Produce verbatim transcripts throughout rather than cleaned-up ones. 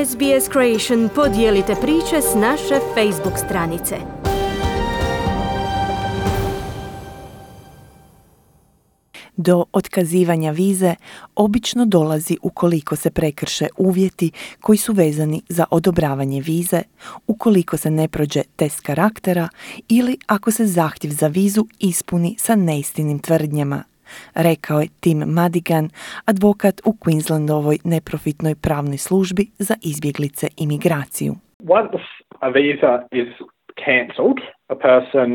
S B S Creation podijelite priče s naše Facebook stranice. Do otkazivanja vize obično dolazi ukoliko se prekrše uvjeti koji su vezani za odobravanje vize, ukoliko se ne prođe test karaktera ili ako se zahtjev za vizu ispuni sa neistinim tvrdnjama, rekao je Tim Madigan, advokat u Queenslandovoj neprofitnoj pravnoj službi za izbjeglice i migraciju. Once a visa is cancelled, a person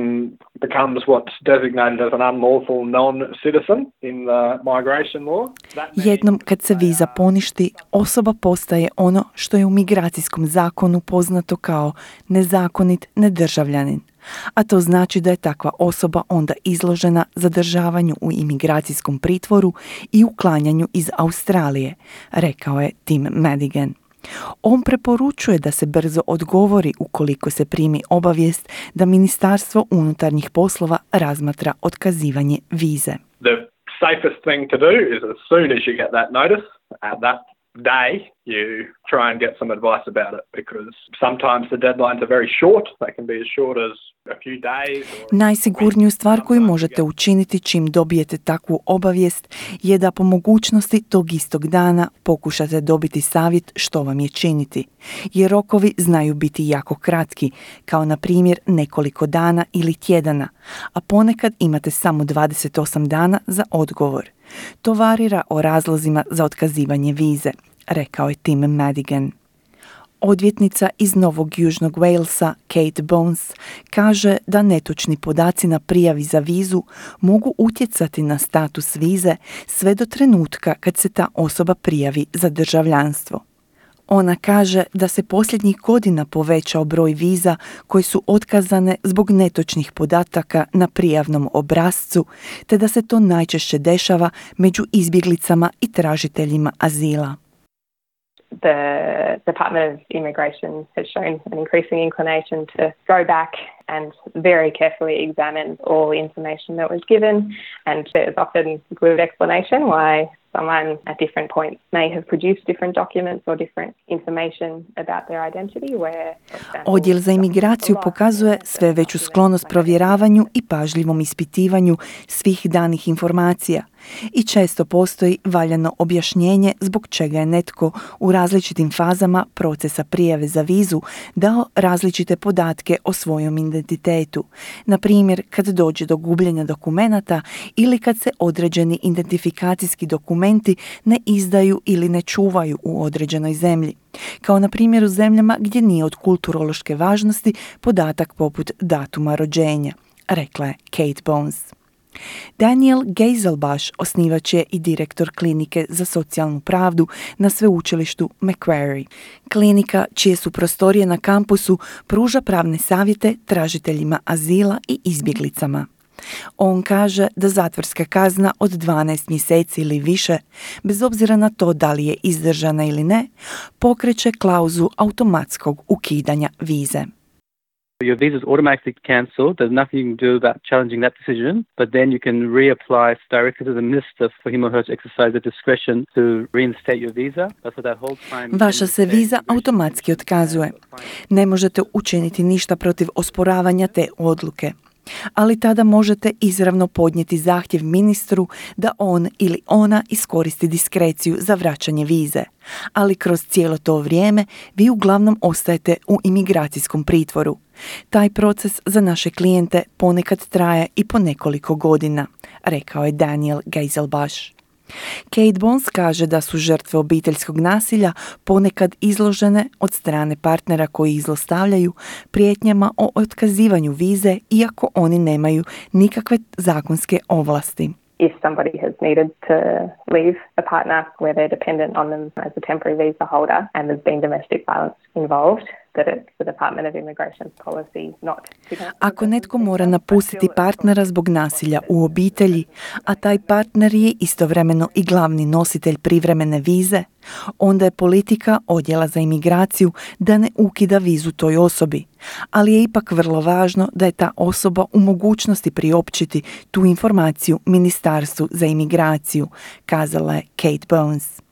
becomes what's designated as an unlawful non-citizen in the migration law. Jednom kad se viza poništi, osoba postaje ono što je u migracijskom zakonu poznato kao nezakonit nedržavljanin. A to znači da je takva osoba onda izložena zadržavanju u imigracijskom pritvoru i uklanjanju iz Australije, rekao je Tim Madigan. On preporučuje da se brzo odgovori ukoliko se primi obavijest da Ministarstvo unutarnjih poslova razmatra otkazivanje vize. The safest thing to do is as soon as you get that notice, at that day, you try and get some advice about it, because sometimes the deadlines are very short. They can be as short as a few days. Najsigurniju stvar koju možete učiniti čim dobijete takvu obavijest je da po mogućnosti tog istog dana pokušate dobiti savjet što vam je činiti, jer rokovi znaju biti jako kratki, kao na primjer nekoliko dana ili tjedana, a ponekad imate samo dvadeset osam dana za odgovor. To varira o razlozima za otkazivanje vize, rekao je Tim Madigan. Odvjetnica iz Novog Južnog Walesa, Kate Bones, kaže da netočni podaci na prijavi za vizu mogu utjecati na status vize sve do trenutka kad se ta osoba prijavi za državljanstvo. Ona kaže da se posljednjih godina povećao broj viza koje su otkazane zbog netočnih podataka na prijavnom obrascu, te da se to najčešće dešava među izbjeglicama i tražiteljima azila. The Department of Immigration has shown an increasing inclination to go back and very carefully examine all information that was given, and there's often good explanation why someone at different points may have produced different documents or different information about their identity. Where, Odjel za imigraciju pokazuje sve veću sklonost provjeravanju i pažljivom ispitivanju svih danih informacija i često postoji valjano objašnjenje zbog čega je netko u različitim fazama procesa prijave za vizu dao različite podatke o svojom identitetu. Na primjer, kad dođe do gubljenja dokumenata ili kad se određeni identifikacijski dokumenti ne izdaju ili ne čuvaju u određenoj zemlji. Kao na primjer u zemljama gdje nije od kulturološke važnosti podatak poput datuma rođenja, rekla je Kate Bones. Daniel Geiselbash osnivač je i direktor klinike za socijalnu pravdu na sveučilištu Macquarie. Klinika, čije su prostorije na kampusu, pruža pravne savjete tražiteljima azila i izbjeglicama. On kaže da zatvorska kazna od dvanaest mjeseci ili više, bez obzira na to da li je izdržana ili ne, pokreće klauzu automatskog ukidanja vize. Your visa is automatically cancelled. There's nothing you can do about challenging that decision, but then you can reapply directly to the minister for him or her to exercise the discretion to reinstate your visa. That's what that whole time. Vaša se viza automatski otkazuje. Ne možete učiniti ništa protiv osporavanja te odluke. Ali tada možete izravno podnijeti zahtjev ministru da on ili ona iskoristi diskreciju za vraćanje vize. Ali kroz cijelo to vrijeme vi uglavnom ostajete u imigracijskom pritvoru. Taj proces za naše klijente ponekad traje i po nekoliko godina, rekao je Daniel Geiselbash. Kate Bones kaže da su žrtve obiteljskog nasilja ponekad izložene od strane partnera koji ih zlostavljaju prijetnjama o otkazivanju vize iako oni nemaju nikakve zakonske ovlasti. If somebody has needed to leave a partner where they're dependent on them as a temporary visa holder and there's been domestic violence involved, that it's the Department of Immigration's policy not to... Ako netko mora napustiti partnera zbog nasilja u obitelji, a taj partner je istovremeno i glavni nositelj privremene vize, onda je politika Odjela za imigraciju da ne ukida vizu toj osobi, ali je ipak vrlo važno da je ta osoba u mogućnosti priopćiti tu informaciju Ministarstvu za imigraciju, kazala je Kate Bones.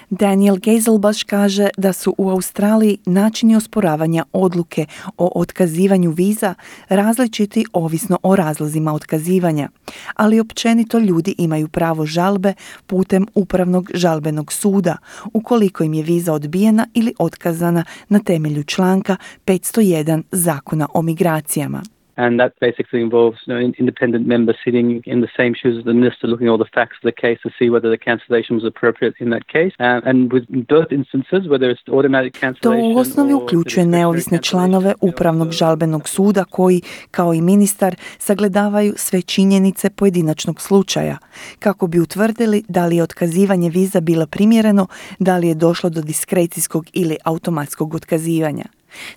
Daniel Geiselbash kaže da su u Australiji načini osporavanja odluke o otkazivanju viza različiti ovisno o razlozima otkazivanja, ali općenito ljudi imaju pravo žalbe putem upravnog žalbenog suda ukoliko im je viza odbijena ili otkazana na temelju članka petsto jedan Zakona o migracijama. And that basically involves, you know, an independent member sitting in the same shoes as the minister, looking at all the facts of the case to see whether the cancellation was appropriate in that case. Um, and with both instances, whether it's automatic cancellation. To u osnovi uključuje neovisne članove upravnog žalbenog suda koji, kao i ministar, sagledavaju sve činjenice pojedinačnog slučaja kako bi utvrdili da li je otkazivanje viza bilo primjereno, da li je došlo do diskrecijskog ili automatskog otkazivanja.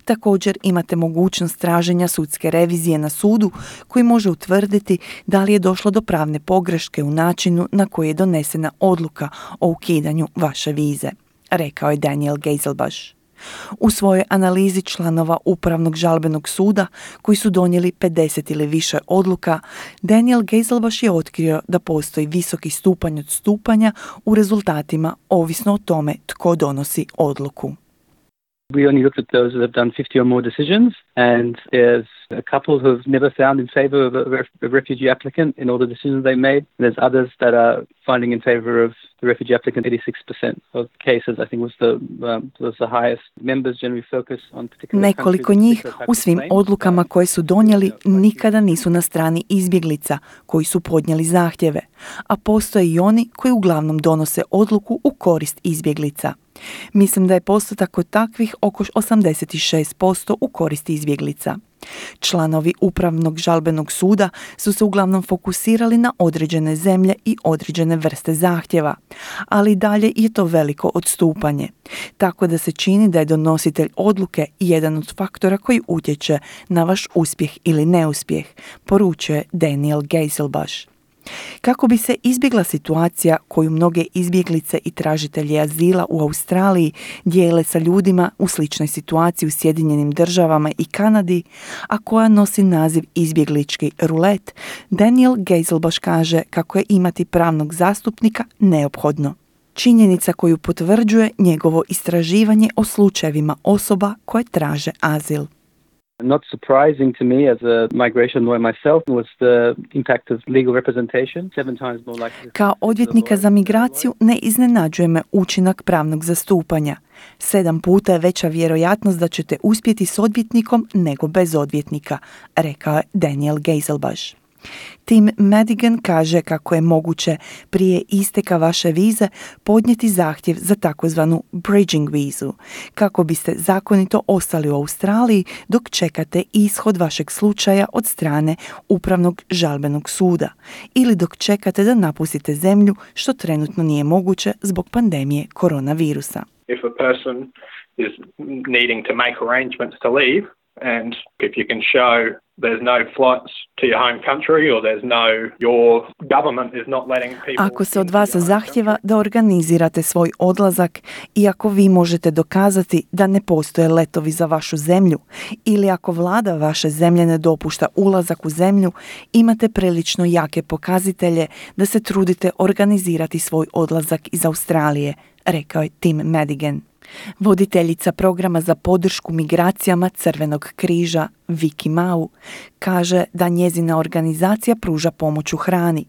Također imate mogućnost traženja sudske revizije na sudu koji može utvrditi da li je došlo do pravne pogreške u načinu na koji je donesena odluka o ukidanju vaše vize, rekao je Daniel Geiselbash. U svojoj analizi članova Upravnog žalbenog suda koji su donijeli pedeset ili više odluka, Daniel Geiselbash je otkrio da postoji visoki stupanj odstupanja u rezultatima ovisno o tome tko donosi odluku. We only looked at those that have done fifty or more decisions, and there's a couple who have never found in favor of a, ref- a refugee applicant in all the decisions they made. And there's others that are finding in favor of the refugee applicant. eighty-six percent of cases, I think, was the um, was the highest. Members generally focus on particular Nekoliko njih u svim odlukama koje su donijeli nikada nisu na strani izbjeglica koji su podnijeli zahtjeve, a postoje i oni koji uglavnom donose odluku u korist izbjeglica. Mislim da je postotak kod takvih oko osamdeset šest posto u korist izbjeglica. Članovi Upravnog žalbenog suda su se uglavnom fokusirali na određene zemlje i određene vrste zahtjeva, ali dalje je to veliko odstupanje. Tako da se čini da je donositelj odluke jedan od faktora koji utječe na vaš uspjeh ili neuspjeh, poručuje Daniel Geiselbash. Kako bi se izbjegla situacija koju mnoge izbjeglice i tražitelji azila u Australiji dijele sa ljudima u sličnoj situaciji u Sjedinjenim državama i Kanadi, a koja nosi naziv izbjeglički rulet, Daniel Geiselbash kaže kako je imati pravnog zastupnika neophodno. Činjenica koju potvrđuje njegovo istraživanje o slučajevima osoba koje traže azil. Not surprising to me as a migration lawyer myself was the impact of legal representation. Seven times more likely. Kao odvjetnika za migraciju ne iznenađuje me učinak pravnog zastupanja. Sedam puta je veća vjerojatnost da ćete uspjeti s odvjetnikom nego bez odvjetnika, rekao je Daniel Geiselbash. Tim Madigan kaže kako je moguće prije isteka vaše vize podnijeti zahtjev za takozvanu bridging vizu, kako biste zakonito ostali u Australiji dok čekate ishod vašeg slučaja od strane Upravnog žalbenog suda ili dok čekate da napustite zemlju, što trenutno nije moguće zbog pandemije koronavirusa. If a person is needing to make arrangements to leave, and if you can show there's no flights to your home country or there's no, your government is not letting people... Ako se od vas zahtjeva da organizirate svoj odlazak i ako vi možete dokazati da ne postoje letovi za vašu zemlju ili ako vlada vaše zemlje ne dopušta ulazak u zemlju, imate prilično jake pokazatelje da se trudite organizirati svoj odlazak iz Australije, rekao je Tim Madigan. Voditeljica programa za podršku migracijama Crvenog križa, Vicky Mau, kaže da njezina organizacija pruža pomoć u hrani,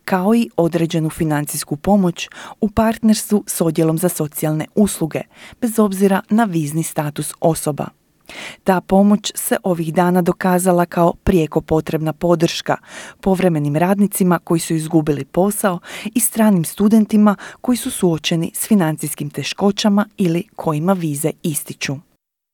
kao i određenu financijsku pomoć u partnerstvu s Odjelom za socijalne usluge, bez obzira na vizni status osoba. Ta pomoć se ovih dana dokazala kao prijeko potrebna podrška povremenim radnicima koji su izgubili posao i stranim studentima koji su suočeni s financijskim teškoćama ili kojima vize ističu.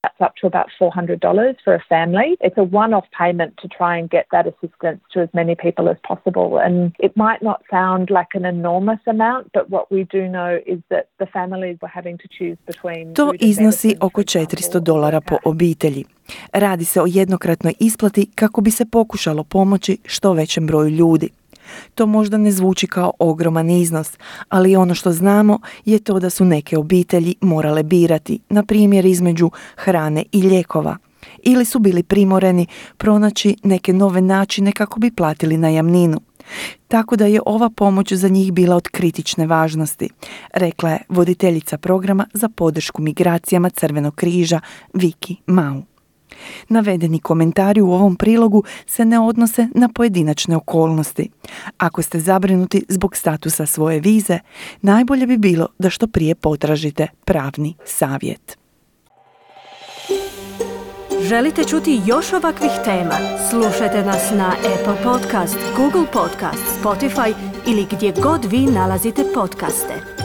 That's up to about four hundred dollars for a family. It's a one-off payment to try and get that assistance to as many people as possible. And it might not sound like an enormous amount, but what we do know is that the families were having to choose between... To iznosi oko četiristo dolara po obitelji. Radi se o jednokratnoj isplati kako bi se pokušalo pomoći što većem broju ljudi. To možda ne zvuči kao ogroman iznos, ali ono što znamo je to da su neke obitelji morale birati, na primjer između hrane i lijekova, ili su bili primoreni pronaći neke nove načine kako bi platili najamninu, Tako da je ova pomoć za njih bila od kritične važnosti, rekla je voditeljica programa za podršku migracijama Crvenog križa Viki Mau. Navedeni komentari u ovom prilogu se ne odnose na pojedinačne okolnosti. Ako ste zabrinuti zbog statusa svoje vize, najbolje bi bilo da što prije potražite pravni savjet. Želite čuti još ovakvih tema? Slušajte nas na Apple Podcast, Google Podcast, Spotify ili gdje god vi nalazite podcaste.